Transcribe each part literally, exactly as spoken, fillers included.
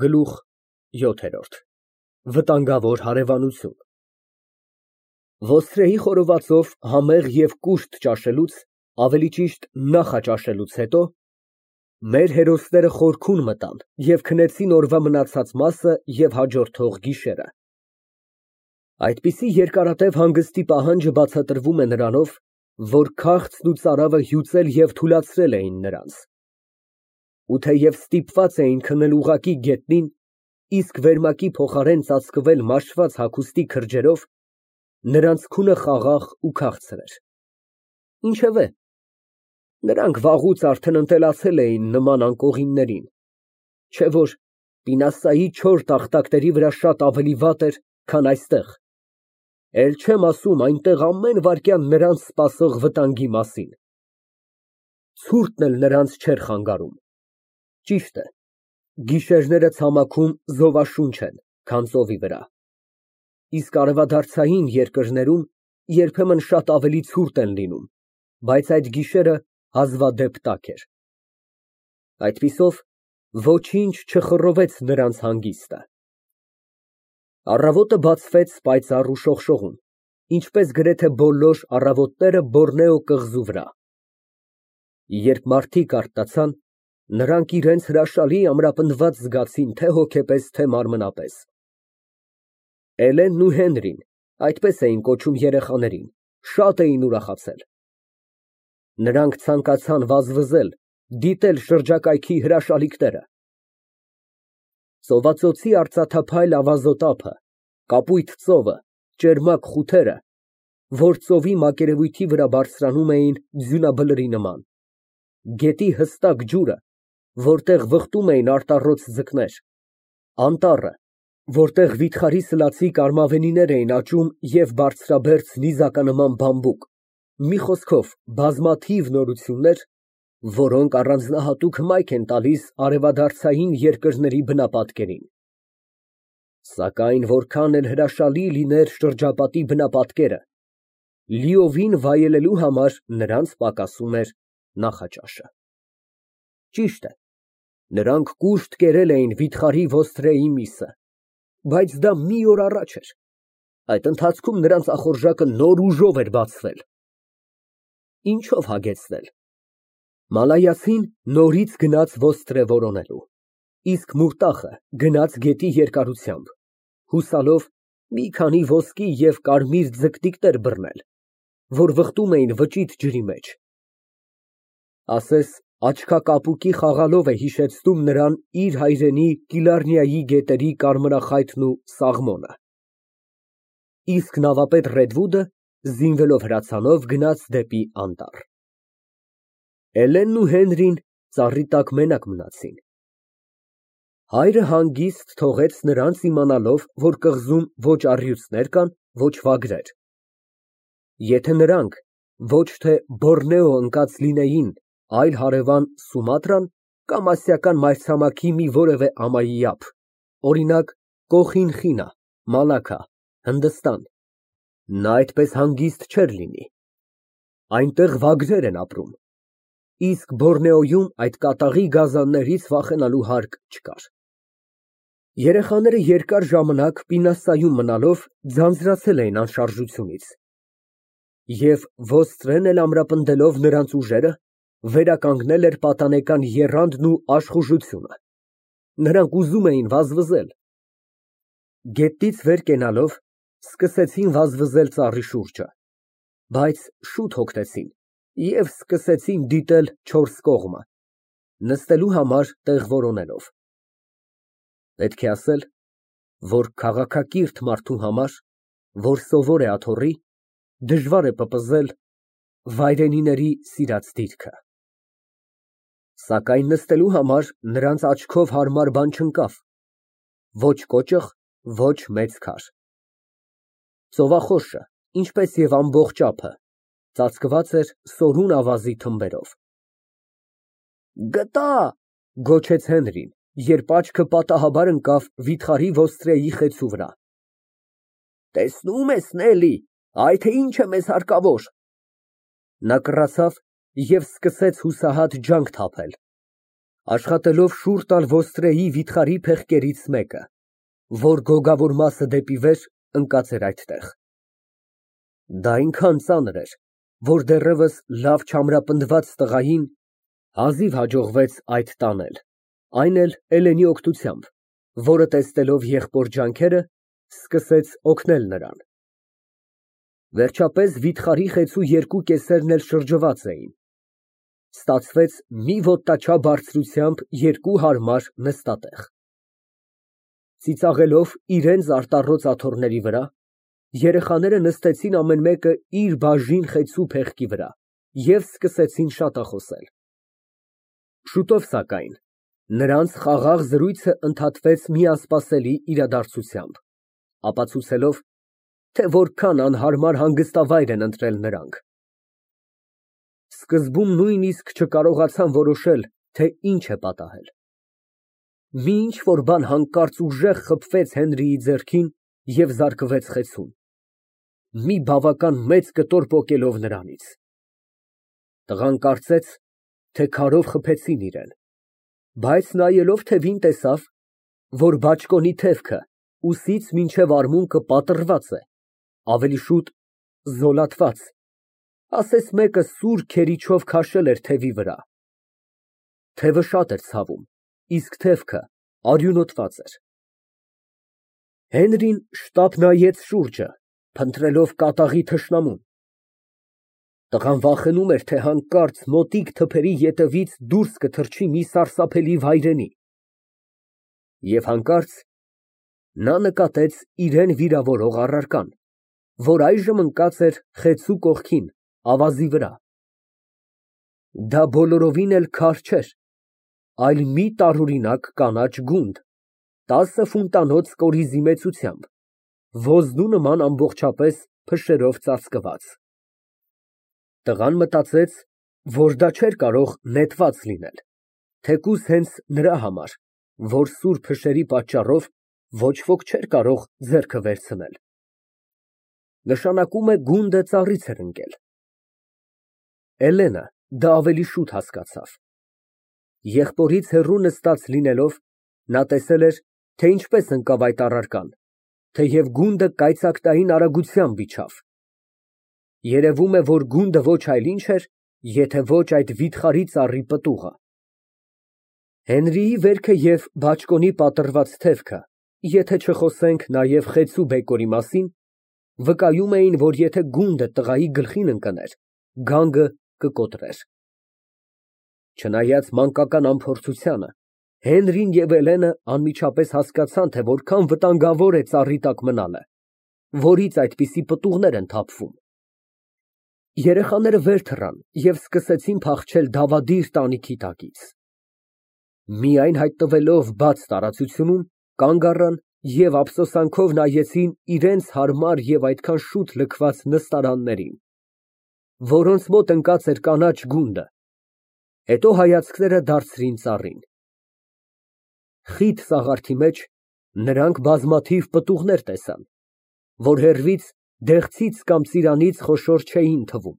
Գլուխ յոթ Վտանգավոր հարևանություն Ոստրեի խորովածով համեղ և կուշտ ճաշելուց, ավելի ճիշտ նախաճաշելուց հետո, մեր հերոսները խորքուն մտան և քնեցին օրվա մնացած մասը և հաջորդող գիշերը. Այդպիսի երկարատև հանգստի պահանջը բացատրվում է նրանով, որ քաղցն ու ծարավը հյուծել և թուլացրել էին նրանց, ու թեև ստիպված էին քնել ուղղակի գետնին, իսկ վերմակի փոխարեն ծածկվել մաշված հագուստի քրջերով, նրանց քունը խաղաղ ու քաղցր էր, ինչևէ, նրանք վաղուց արդեն ընտելացել էին նման անկողիններին, չէ՞ որ պինասայի չոր տախտակների վրա շատ ավելի վատ էր, քան այստեղ, էլ չեմ ասում այնտեղ ամեն վայրկյան նրանց սպասող վտանգի մասին, ցուրտն էլ նրանց չէր խանգարում, ճիշտ է, գիշերները ցամաքում զովաշունչ են, քան ծովի վրա, իսկ արևադարձային երկրներում երբեմն շատ ավելի ցուրտ են լինում, բայց այդ գիշերը հազվադեպ տաք էր, այդպիսով ոչինչ չխռովեց նրանց հանգիստը, առավոտը բացվեց պայծառ ու շողշողուն, ինչպես գրեթե բոլոր առավոտները Բոռնեո կղզու վրա, երբ մարդիկ արթնացան, նրանք իրենց հրաշալի ամրապնդված զգացին թե հոգեպես, թե մարմնապես, Էլենն ու Հենրին, այդպես էին կոչում երեխաներին, շատ էին ուրախացել, նրանք ցանկացան վազվզել, դիտել շրջակայքի հրաշալիքները, ծովածոցի արծաթափայլ ավազոտափը, կապույտ ծովը, ճերմակ խութերը, որ ծովի մակերևույթի վրա բարձրանում էին ձյունաբլրի նման, գետի հստակ ջուրը, որտեղ վխտում էին արտառոց ձկներ, անտառը, որտեղ վիթխարի սլացի կարմավենիներ էին աճում և բարձրաբերձ նիզականման բամբուկ, մի խոսքով բազմաթիվ նորություններ, որոնք առանձնահատուկ հմայք են տալիս արևադարձային երկրների բնապատկերին, սակայն որքան էլ հրաշալի լիներ շրջապատի բնապատկերը, լիովին վայելելու համար նրանց պակասում էր նախաճաշը, ճիշտ է, նրանք կուշտ կերել էին վիթխարի ոստրեի միսը, բայց դա մի օր առաջ էր, այդ ընթացքում նրանց ախորժակը նոր ուժով էր բացվել, ինչո՞վ հագեցնել, Մալայացին նորից գնաց ոստրե որոնելու, իսկ Մուրտախը գնաց գետի երկարությամբ, հուսալով մի քանի ոսկի և կարմիր ձկտիկներ բռնել, որ վխտում էին վճիտ ջրի մեջ, ասես աչքակապուկի խաղալով է հիշեցնում նրան իր հայրենի Կիլառնիայի գետերի կարմրախայտն ու սաղմոնը, իսկ նավապետ Ռեդվուդը զինվելով հրացանով գնաց դեպի անտառ, Էլենն ու Հենրին ծառի տակ մենակ մնացին, հայրը հանգիստ թողեց նրանց իմանալով, որ կղզում ոչ առյուծներ կան, ոչ վագրեր, եթե նրանք ոչ թե Բոռնեո ընկած լինեին, այլ հարևան Սումատրան կամ ասիական մայրցամաքի մի որևէ ամայի ափ, օրինակ Կոխինխինա, Մալաքա, Հնդստան, նա այդպես հանգիստ չէր լինի, այնտեղ վագրեր են ապրում, իսկ Բոռնեոյում այդ կատաղի գազաններից վախենալու հարկ չկար, երեխաները երկար ժամանակ պինասայում մնալով ձանձրացել էին անշարժությունից, և ոստրեն էլ ամրապնդելով նրանց ուժերը, վերականգնել էր պատանեկան եռանդն ու աշխուժությունը, նրանք ուզում էին վազվզել, գետից վեր կենալով, սկսեցին վազվզել ծառի շուրջը, բայց շուտ հոգնեցին և սկսեցին դիտել չորս կողմը, նստելու համար տեղ որոնելով, պետք է ասել, որ քաղաքակիրթ մարդու համար, որ սովոր է աթոռի, դժվար է պպզել վայրենիների սիրած դիրքը, սակայն նստելու համար նրանց աչքով հարմար բան չընկավ, ոչ կոճղ, ոչ մեծ քար, ծովախորշը, ինչպես և ամբողջ ափը, ծածկված էր սորուն ավազի թմբերով։ Գտա, գոչեց Հենրին, երբ աչքը պատահաբար ընկավ վիթխարի ոստրեի խեցու վրա։ Տեսնում ես, Նելի, այ թե ինչ է մեզ հարկավոր։ Նա կռացավ և սկսեց հուսահատ ջանք թափել։ Աշխատելով շուռ տալ ոստրեի վիթխարի փեղկերից մեկը, որ գոգավոր մասը դեպի վեր ընկած էր այդտեղ։ Դա այնքան ծանր էր, որ դեռևս լավ չամրապնդված տղային հազիվ հաջողվեց այդ տանել, այն էլ Էլենի օգնությամբ, որը տեսնելով եղբոր ջանքերը, սկսեց օգնել նրան։ Վերջապես վիթխարի խեցու երկու կեսերն էլ շրջված էին։ Ստացվեց մի ոտնաչափ բարձրությամբ երկու հարմար նստատեղ։ Ծիծաղելով իրենց արտառոց աթոռների վրա, երեխաները նստեցին ամեն մեկը իր բաժին խեցու փեղկի վրա և սկսեցին շատախոսել։ Շուտով, սակայն, նրանց խաղաղ զրույցը ընդհատվեց մի անսպասելի իրադարձությամբ, ապացուցելով, թե որքան անհարմար հանգստավայր են ընտրել նրանք։ Սկզբում նույնիսկ չկարողացան որոշել, թե ինչ է պատահել։ Մի ինչ֊որ բան հանկարծ ուժեղ խփվեց Հենրիի ձեռքին և զարկվեց խեցուն, մի բավական մեծ կտոր պոկելով նրանից։ Տղան կարծեց, թե քարով խփեցին իրան, բայց նայելով թևին, տեսավ, որ բաճկոնի թևքը ուսից մինչև արմունկը պատռված է, ավելի շուտ զոլատված, ասես մեկը սուր քերիչով քաշել էր թևի վրա։ Թևը շատ էր ցավում, իսկ թևքը արյունոտված էր։ Հենրին շտապ նայեց շուրջը, փնտրելով կատաղի թշնամուն։ Տղան վախենում էր, թե հանկարծ մոտիկ թփերի ետևից դուրս կթռչի մի սարսափելի վայրենի։ Եվ հանկարծ նա նկատեց իրան վիրավորող առարկան, որ այժմ ընկած էր խեցու կողքին, ավազի վրա։ Դա բոլորովին էլ քար չէր, այլ մի տարօրինակ կանաչ գունդ, տասը ֆունտանոց կորիզի մեծությամբ, ոզնու նման ամբողջապես փշերով ծածկված։ Տղան մտածեց, որ դա չէր կարող նետված լինել, թեկուզ հենց նրա համար, որ սուր փշերի պատճառով ոչ ոք չէր կարող ձեռքը վերցնել։ Նշանակում է գունդը ծառից էր ընկել։ Էլենը դա ավելի շուտ հասկացավ։ Եղբորից հեռու նստած լինելով, նա տեսել էր, թե ինչպես ընկավ այդ առարկան, թեև գունդը կայծակտային արագությամբ իջավ։ Երևում է, որ գունդը ոչ այլ ինչ էր, եթե ոչ այդ վիթխարի ծառի պտուղը։ Հենրիի վերքը և բաճկոնի պատռված թևքը, եթե չխոսենք նաև խեցու բեկորի մասին, վկայում էին, որ եթե գունդը տղայի գլխին ընկներ, գանգը կկոտրեր։ Չնայած մանկական անփորձությանը, Հենրին և Էլենը անմիջապես հասկացան, թե որքան վտանգավոր է ծառի տակ մնալը, որից այդպիսի պտուղներ են թափվում։ Երեխաները վեր թռան և սկսեցին փախչել դավադիր տանիքի տակից։ Միայն հայտնվելով բաց տարածությունում, կանգ առան և ափսոսանքով նայեցին իրենց հարմար և այդքան շուտ լքված նստարաններին, որոնց մոտ ընկած էր կանաչ գունդը, հետո հայացքները դարձրին ծառին։ Խիտ սաղարթի մեջ նրանք բազմաթիվ պտուղներ տեսան, որ հեռվից դեղցից կամ ծիրանից խոշոր չէին թվում։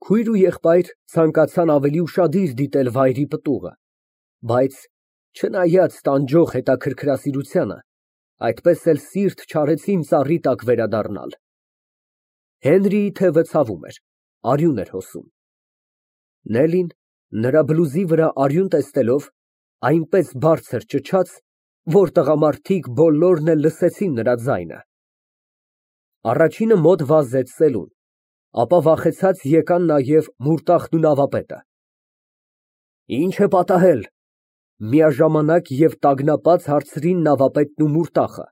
Քույր ու եղբայր ցանկացան ավելի ուշադիր դիտել վայրի պտուղը, բայց չնայած տանջող հետաքրքրասիրությանը, այդպես էլ սիրտ չարեցին ծառի տակ վերադառնալ։ Հենրիի թևը ցավում էր, արյուն էր հոսում։ Նելին, նրա բլուզի վրա արյուն տեսնելով, այնպես բարձր ճչաց, որ տղամարդիկ բոլորն էլ լսեցին նրա ձայնը։ Առաջինը մոտ վազեց սելուն, ապա վախեցած եկան նաև Մուրտախն ու նավապետը։ Ի՞նչ է պատահել, միաժամանակ և տագնապած հարցրին նավապետն ու Մուրտախը։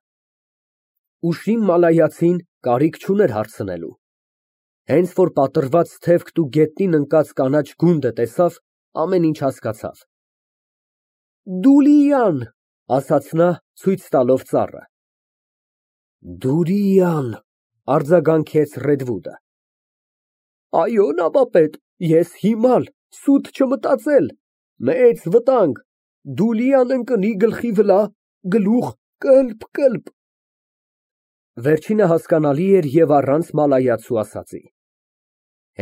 Ուշիմ մալայացին կարիք չուներ հարցնելու։ Հենց որ պատռված թևքն ու գետնին ընկած կանաչ գունդը տեսավ, ամեն ինչ հասկացավ։ Դուլիան, ասաց նա, ցույց տալով ծառը։ Դուրիան, արձագանքեց Ռեդվուդը։ Այո, նավապետ, ես հիմար, սուտ չմտածել, մեծ վտանգ, Դուլիան ընկնի գլխի վրա, գլուխ կըլպ֊կըլպ։ Վերջինը հասկանալի էր և առանց մալայացու ասածի։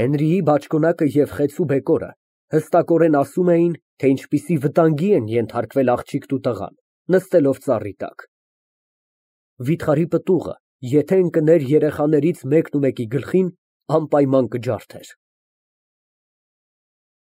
Հենրիի բաճկոնակը և խեցու բեկորը Հստակորեն ասում էին, թե ինչպիսի վտանգի են ենթարկվել աղջիկն ու տղան, նստելով ծառի տակ։ Վիթխարի պտուղը եթե ընկներ երեխաներից մեկն ու մեկի գլխին, անպայման կջարդեր։